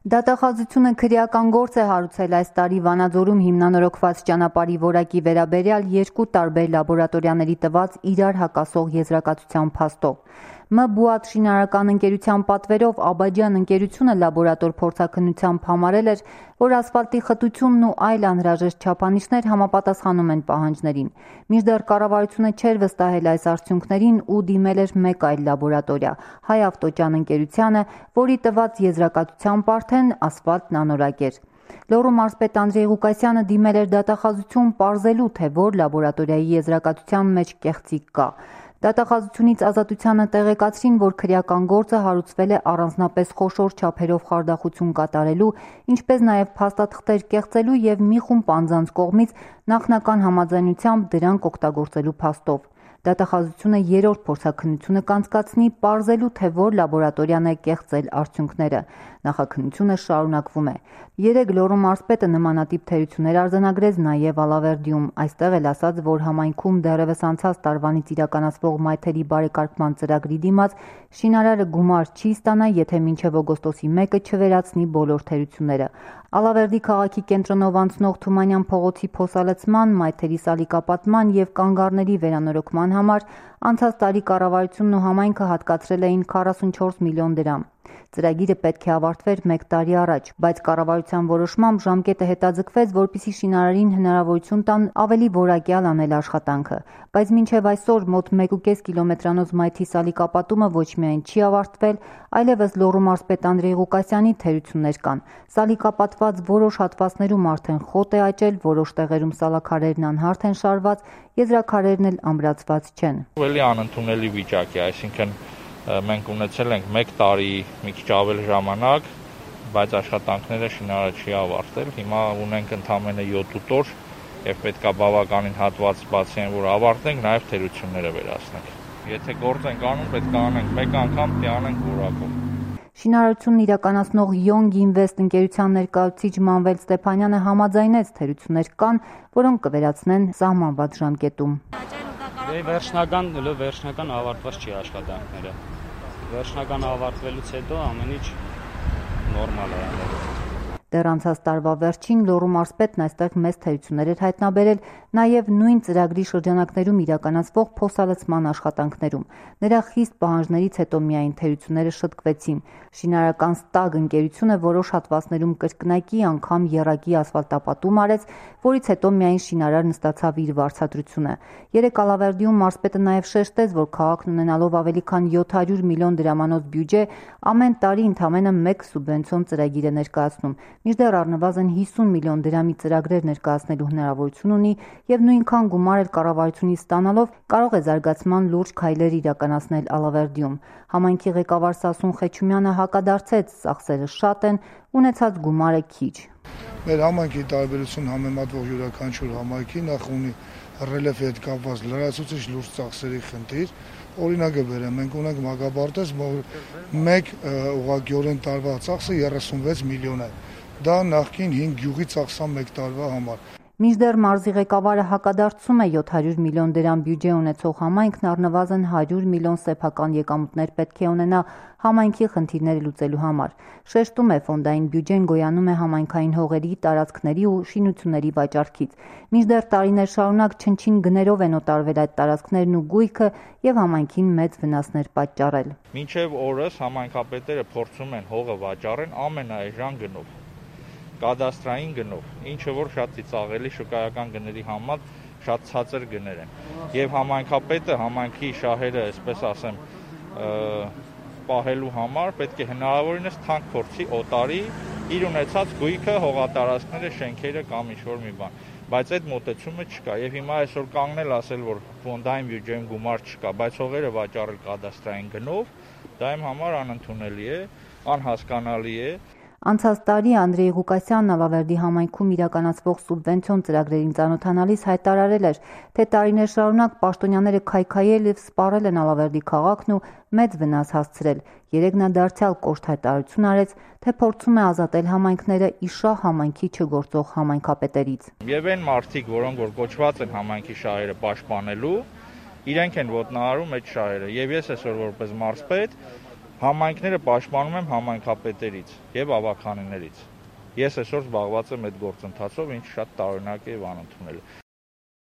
Դատախազությունը քրեական գործ է հարուցել այս տարի Վանաձորում հիմնանորոգված ճանապարհի որակի վերաբերյալ երկու տարբեր լաբորատորիաների տված իրար հակասող եզրակացության փաստով։ ՄԲՈՒԱՏ շինարարական ընկերության պատվերով Աբաջյան ընկերությունը լաբորատոր փորձաքննությամբ համարել էր, որ ասֆալտի խտությունն ու այլ անհրաժեշտ չափանիշներ համապատասխանում են պահանջներին։ Մինչդեռ կառավարությունը չէր վստահել այս արդյունքներին ու դիմել էր մեկ այլ լաբորատորիա՝ Հայավտոճան ընկերությանը, որի տված եզրակացությամբ արդեն ասֆալտն անորակ էր։ Լոռու մարզպետ Անդրեյ Ղուկասյանը դիմել էր դատախազություն պարզելու, թե որ լաբորատորիայի եզրակացության մեջ կեղծիք կա։ Դատախազությունից Ազատությանը տեղեկացրին, որ քրեական գործը հարուցվել է առանձնապես խոշոր չափերով խարդախություն կատարելու, ինչպես նաև փաստաթղթեր կեղծելու և մի խումբ անձանց կողմից նախնական համաձայնությամբ դրանք օգտագործելու փաստով։ Դատախազությունը երրորդ փորձաքննությունը կանցկացնի պարզելու, թե որ լաբորատորիան է կեղծել արդյունքները։ Նախաքննությունը շարունակվում է։ Երեկ Լոռու մարզպետը նմանատիպ թերություններ արձանագրեց նաև Ալավերդիում։ Այստեղ էլ ասաց, որ համայնքում դեռևս անցած տարվանից իրականացվող մայթերի բարեկարգման ծրագրի դիմաց շինարարը գումար չի ստանա, եթե մինչև օգոստոսի 1-ը չվերացնի բոլոր թերությունները։ Ալավերդի քաղաքի կենտրոնով անցնող Թումանյան փողոցի փոսալցման, մայթերի սալիկապատման և կանգառների վերանորոգման համար անցած տարի կառավարությունն ու համայնքը հատկացրել էին 44 միլիոն դրամ։ Ծրագիրը պետք է ավարտվեր 1 տարի առաջ, բայց կառավարության որոշմամբ ժամկետը հետաձգվեց, որպեսզի շինարարին հնարավորություն տան ավելի որակյալ անել աշխատանքը։ Բայց մինչև այսօր մոտ 1,5 կիլոմետրանոց մայթի սալիկապատումը ոչ միայն չի ավարտվել, այլևս Լոռու մարզպետ Անդրեյ Ղուկասյանի թերություններ կան։ Սալիկապատված որոշ հատվածներում արդեն խոտ է աճել, որոշ տեղերում սալաքարերն անհարթ են շարված, եզրաքարերն էլ ամրացված չեն։ Ավելի անընդունելի վիճակ է, այսինքն մենք ունեցել ենք 1 տարի մի քիչ ավել ժամանակ, բայց աշխատանքները շինարարը չի ավարտել։ Հիմա ունենք ընդամենը 7-8 օր եւ պետքա բավականին հատված բացեն, որ ավարտենք, նաեւ թերությունները վերացնենք։ Եթե գործ ենք անում, պետք է անենք մեկ անգամ, թե անենք որակով։ Շինարարությունն իրականացնող Yong Invest ընկերության ներկայացուցիչ Մանվել Ստեփանյանը համաձայնեց թերություններ կան, որոնք կվերացնեն սահմանված ժամկետում։ Վերջնական ավարտված չի աշխատանքները։ Վերջնական ավարտվելուց հետո ամեն ինչ նորմալ է։ Դեռ անցած տարվա վերջին Լոռու մարզպետն այստեղ մեծ թերություններ էր հայտնաբերել նաև նույն ծրագրի շրջանակներում իրականացվող փոսալցման աշխատանքներում։ Նրա խիստ պահանջներից հետո միայն թերությունները շտկվեցին։ Շինարարական Ստագ ընկերությունը որոշ հատվածներում կրկնակի անգամ եռակի ասֆալտապատում արեց, որից հետո միայն շինարարն ստացավ իր վարձատրությունը։ Երեկ Ալավերդիում մարզպետը նաև շեշտեց, որ քաղաքն ունենալով ավելի քան 700 միլիոն դրամանոց բյուջե ամեն տարի ընդամենը 1 սուբվենցիոն ծրագիր է ներկայացնում։ Մինչդեռ առնվազն 50 միլիոն դրամի ծրագրեր ներկայացնելու հնարավորություն ունի և նույնքան գումար էլ կառավարությունից ստանալով կարող է զարգացման լուրջ քայլեր իրականացնել Ալավերդիում։ Համայնքի ղեկավար Սասուն Խեչումյանը հակադարձեց՝ ծախսերը շատ են, ունեցած գումարը քիչ։ Մեր համայնքի տարբերություն համեմատվող յուրաքանչյուր համայնքի նախ ունի ռելիեֆի հետ կապված լրացուցիչ լուրջ ծախսերի խնդիր։ Օրինակը բերեմ, մենք ունենք Մագաբարտեզ, մեկ ուղղակիորեն տարվա ծախսը 36 միլիոն է։ Դա նախկին 5 գյուղի ծախսան 1 տարվա համար։ Մինչդեռ մարզի ղեկավարը հակադարձում է 700 միլիոն դրամ բյուջե ունեցող համայնքն առնվազն 100 միլիոն սեփական եկամուտներ պետք է ունենա համայնքի խնդիրները լուծելու համար։ Շեշտում է, ֆոնդային բյուջեն գոյանում է համայնքային հողերի, տարածքների ու շինությունների վաճառքից։ Մինչդեռ տարիներ շարունակ չնչին գներով են օտարվել այդ տարածքներն ու գույքը և համայնքին մեծ վնասներ պատճառել։ Մինչև օրս համայնքապետերը փորձում են հողը վաճառեն ամենաէժան գնով, կադաստրային գնով, ինչը որ շատ ծիծաղելի շուկայական գների համար շատ ցածր գներ են։ Եվ համայնքապետը համայնքի շահերը, այսպես ասեմ, պահելու համար պետք է հնարավորինս թանկ փորձի օտարի իր ունեցած գույքը, հողատարածքները, շենքերը կամ ինչ-որ մի բան։ Բայց այդ մոտեցումը չկա եւ հիմա այսօր կանգնել ասել, որ ֆոնդային բյուջեում գումար չկա, բայց հողերը վաճառել կադաստրային գնով, դա իմ համար անընդունելի է, անհասկանալի է։ Անցած տարի Անդրեյ Ղուկասյանն Ալավերդի համայնքում իրականացվող սուբվենցիոն ծրագրերին ծանոթանալիս հայտարարել էր, թե տարիներ շարունակ պաշտոնյաները քայքայել և սպառել են Ալավերդի քաղաքն ու մեծ վնաս հասցրել։ Երեկ նա դարձյալ կոշտ հայտարարություն արեց, թե փորձում է ազատել համայնքները իշահ համայնքի չգործող համայնքապետերից։ Եվ այն մարդիկ, որոնք որ կոչված են համայնքի շահերը պաշտպանելու, իրենք են ոտնահարում այդ շահերը։ Եվ ես այսօր որպես մարզպետ Համայնքները պաշտպանում եմ համայնքապետերից եւ ավականիներից։ Ես այսօր զբաղված եմ այդ գործընթացով, ինչ շատ տարօրինակ է եւ անընդունել։